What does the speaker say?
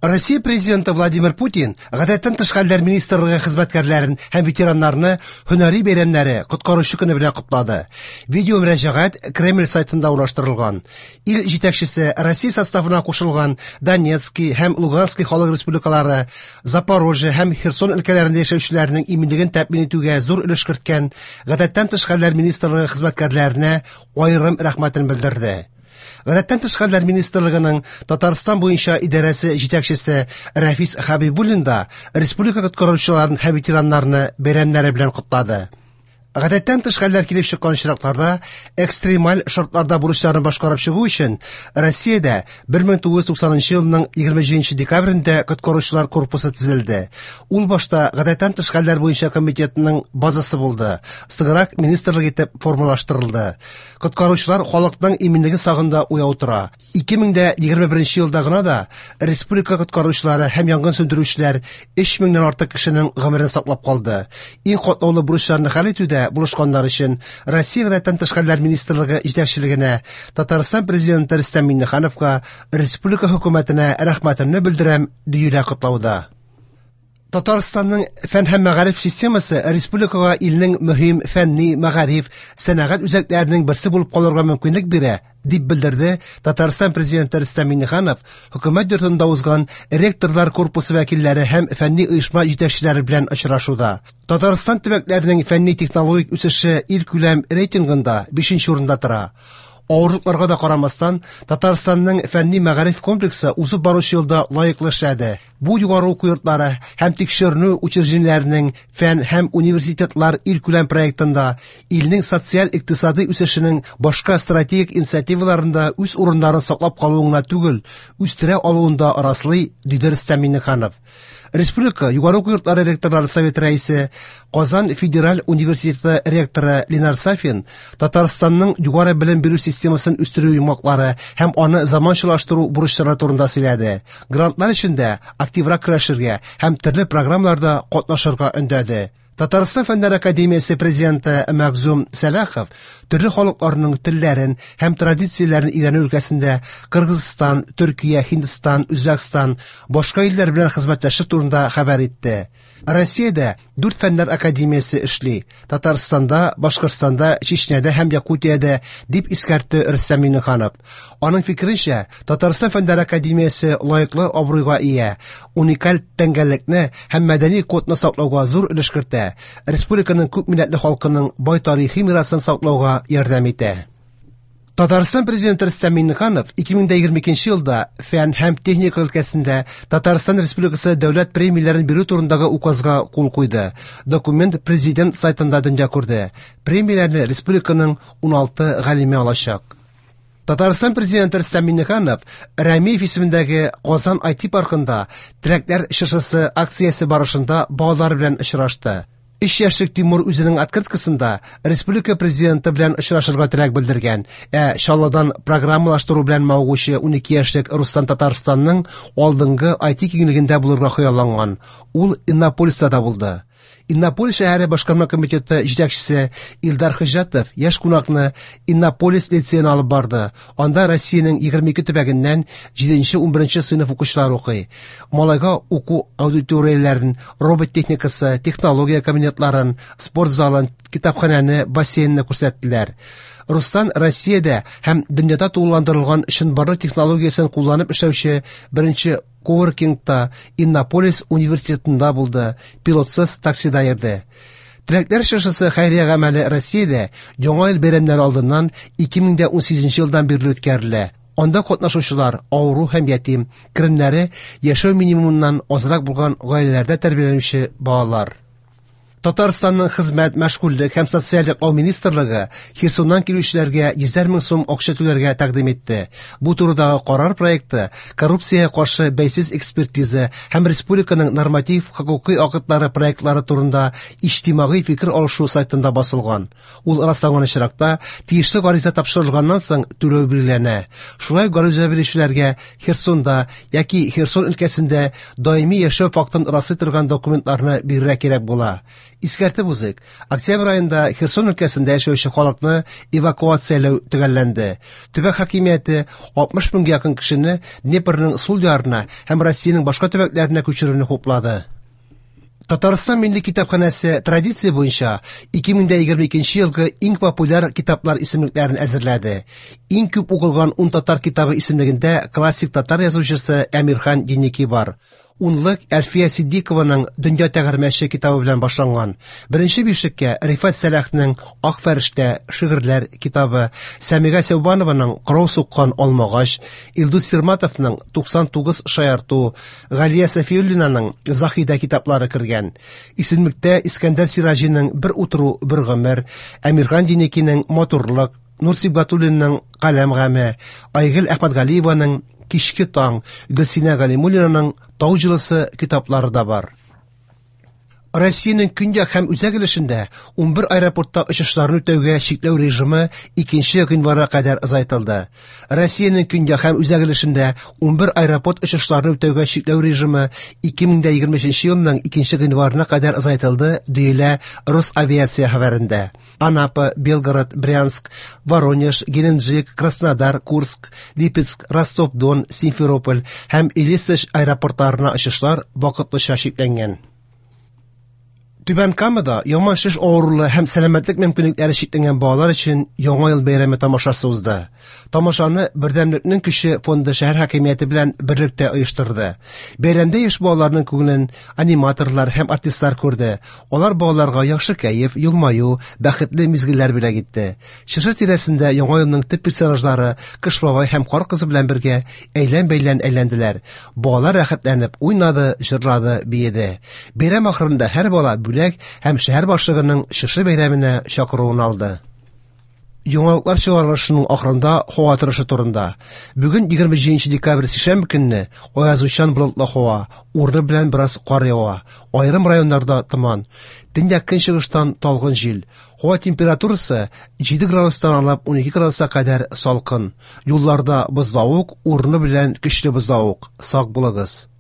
Россия Президенты Владимир Путин Гадәттән тыш хәлләр министрлыгы хезмәткәрләрен һәм ветераннарны һөнәри бәйрәмнәре Коткаручы көне белән котлады. Видео мөрәҗәгать Кремль сайтында урнаштырылган. Ил җитәкчесе Россия составына кушылган Донецкий һәм Луганский халык республикалары, Запорожье һәм Херсон өлкәләрендә яшәүчеләрнең иминлеген тәэмин итүгә зур өлеш керткән Гадәттән тыш хәлләр министрлыгы хезмәткәрләренә аерым рәхмәтен белдерде. Гадәттән тыш хәлләр министрлыгының Татарстан буенча идарәсе җитәкчесе Рәфис Хәбибуллин да республика коткаручыларын һәм ветераннарны бәйрәмнәре белән котлады. Гадәттән тыш хәлләр килеп чыккан очракларда экстремаль шартларда бурычларын башкарып чыгу өчен Россиядә 1990 елның 27 декабрендә коткаручылар корпусы төзелде. Ул башта Гадәттән тыш хәлләр буенча комитетның базасы булды. Соңрак министрлык итеп формалаштырылды. Коткаручылар халыкның иминлеге сагында уяу тора. 2021 елда гына да республика коткаручылары һәм янгын сүндерүчеләр 3000 нән артык кешенең гомерен саклап калды. Иң катлаулы бурычларны хәл итүдә булышканнар өчен Россия Гадәттән тыш хәлләр министрлыгы җитәкчелегенә, Татарстан Президенты Рөстәм Миңнехановка, республика хөкүмәтенә рәхмәтемне белдерәм, диелә котлауда. Татарстанның фән һәм мәгариф системасы республикага илнең мөһим фәнни, мәгариф, сәнәгать үзәкләренең берсе булып калырга мөмкинлек бирә, дип белдерде Татарстан Президенты Рөстәм Миңнеханов Хөкүмәт йортында узган ректорлар корпусы вәкилләре һәм фәнни оешма җитәкчеләре белән очрашуда. Татарстан төбәкләренең фәнни-технологик үсеше илкүләм рейтингында 5 урында тора. Авырлыкларга да карамастан, Татарстанның фәнни-мәгариф комплексы узып баручы елда лаеклы эшләде. Бу югары уку йортлары һәм тикшеренү учреждениеләренең фән һәм университетлар илкүләм проектында, илнең социаль-икътисадый үсешенең башка стратегик инициативаларында үз урыннарын саклап калуын гына түгел, үстерә алуын да раслый, диде Рөстәм Миңнеханов. Республика югары уку йортлары ректорлары советы рәисе, Казан федераль университеты ректоры Ленар Сафин Татарстанның югары белем бирү системасын үстерү йомгаклары һәм аны заманчалаштыру бурычлары турында сөйләде. Грантлар эшендә активрак көрәшергә һәм төрле программаларда катнашырга өндәде. Татарстан Фәннәр академиясе президенты Мәгъзүм Сәлахов төрле халыкларның телләрен һәм традицияләрен өйрәнү өлкәсендә Кыргызстан, Төркия, Һиндстан, Үзбәкстан, башка илләр белән хезмәттәшлек турында хәбәр итте. Россиядә дүрт фәннәр академиясе эшли. Татарстанда, Башкортстанда, Чечняда һәм Якутиядә, дип искәртте Рөстәм Миңнеханов. Аның фикеренчә, Татарстан фәннәр академиясе лаеклы абруйга ия, уникаль тәңгәллекне һәм мәдәни кодны саклауга зур өлеш кертә, республиканың күпмилләтле халкының бай тарихи мирасын саклауга ярдәм итә. Татарстан Президенты Рөстәм Миңнеханов 2022 елда фән һәм техника өлкәсендә Татарстан Республикасы дәүләт премияләрен бирү турындагы указга кул куйды. Документ президент сайтында дөнья күрде. Премияләрне республиканың 16 галиме алачак. Татарстан Президенты Рөстәм Миңнеханов Рәмиев исемендәге Казан IT паркында Теләкләр чыршысы акциясе барышында балалар белән очрашты. Өч яшьлек Тимур үзенең открыткасында республика президенты белән очрашырга теләк белдергән, ә Чаллыдан программалаштыру белән мавыгучы 12 яшьлек Руслан Татарстанның алдынгы IT киңлегендә булырга хыялланган. Ул Иннополиста да булды. Иннополис шәһәре башкарма комитеты җитәкчесе Илдар Хөҗҗәтов яшь кунакны Иннополис лицеена алып барды. Анда Россиянең 22 төбәгеннән 7-11 сыйныф укучылары укый. Малайга уку аудиторияләрен, робот техникасы, технология кабинетларын, спорт залын, китапханәне, бассейнны күрсәттеләр. Руслан Россиядә һәм дөньяда тулыландырылган чынбарлык технологиясен кулланып эшләүче беренче коворкингта Иннополис университетында булды, пилотсыз таксида йөрде. Теләкләр чыршысы хәйрия гамәле Россиядә Яңа ел бәйрәмнәре алдыннан 2018 елдан бирле үткәрелә. Анда катнашучылар авыру һәм ятим, керемнәре яшәү минимумыннан азрак булган гаиләләрдә тәрбияләнүче балалар. Татарстанның Хезмәт, мәшгульлек һәм социаль яклау министрлыгы Херсоннан килүчеләргә йөзәр мең сум акча түләргә тәкъдим итте. Бу турыдагы карар проекты коррупциягә каршы бәйсез экспертиза һәм республиканың норматив хокукый актлары проектлары турында иҗтимагый фикер алышу сайтында басылган. Ул расланган очракта, тиешле гариза тапшырылганнан соң түләү билгеләнә. Шулай ук гариза бирүчеләргә Херсонда яки Херсон өлкәсендә даими яшәү фактын раслый торган документларны бирергә кирәк була. Искәртеп узыйк, октябрь аенда Херсон өлкәсендә яшәүче халыкны эвакуацияләү төгәлләнде. Төбәк хакимияте 60 меңгә якын кешене Днепрның сул ярына һәм Россиянең башка төбәкләренә күчерүне хуплады. Татарстан Милли китапханәсе традиция буенча 2022 елгы иң популяр китаплар исемлекләрен әзерләде. Иң күп укылган 10 татар китабы исемлегендә классик татар язучысы Әмирхан Еники бар. Унлык Әлфия Сиддикованың Дөнья тәгәрмәче китабы белән башланган. Беренче бишлеккә Рифат Сәлахның Ак фәрештә шигырьләр китабы, Сәмига Сәүбанованың Кырау суккан алмагач, Илдус Сирматовның 99 шаярту, Галия Сафиуллинаның Заһидә китаплары кергән. Исемлектә Искәндәр Сираҗиның Бер утыру, бер гомер, Әмирхан Еникинең Матурлык, Нур Сибгатуллинның Каләм гаме, Айгөл Әхмәтгалиеваның Кичке таң, Гөлсинә Галимуллинаның Тау җылысы китаплары да бар. Россиянең көньяк һәм үзәк өлешендә 11 аэропортта очышларны үтәүгә чикләү режимы 2 гыйнварга кадәр озайтылды. Россиянең көньяк һәм үзәк өлешендә 11 аэропорт очышларны үтәүгә чикләү режимы 2023 елның 2 гыйнварына кадәр озайтылды, диелә Росавиация хәбәрендә. Анапа, Белгород, Брянск, Воронеж, Геленджик, Краснодар, Курск, Липецк, Ростов-Дон, Симферополь һәм Елисыш аэропортларына очышлар вакытлыча чикләнгән. Түбән Камада яман шеш авырулы һәм сәламәтлек мөмкинлекләре чикләнгән балалар өчен Яңа ел бәйрәме тамашасы узды. Тамашаны Бердәмлекнең көче фонды шәһәр хакимияте белән берлектә оештырды. Бәйрәмдә яшь балаларның күңелен аниматорлар һәм артистлар күрде. Алар балаларга яхшы кәеф, елмаю, бәхетле мизгелләр бүләк итте. Чыршы тирәсендә Яңа елның төп персонажлары Кыш бабай һәм Кар кызы белән бергә әйлән-бәйлән әйләнделәр. Балалар рәхәтләнеп уйнады, җырлады, биеде. Бәйрәм ахырында һәр бала бүләк һәм шәһәр башлыгының чыршы бәйрәменә чакыруын алды. Яңалыклар чыгарылышының ахырында һава торышы турында. Бүген 27 декабрь сишәмбе көнне аязучан болытлы һава, урыны белән бераз кар ява. Аерым районнарда томан. Төньяк көнчыгыштан талгын җил. Һава температурасы 7 градустан алып 12 градуска кадәр салкын. Юлларда бозлавык, урыны белән көчле бозлавык. Сак булыгыз.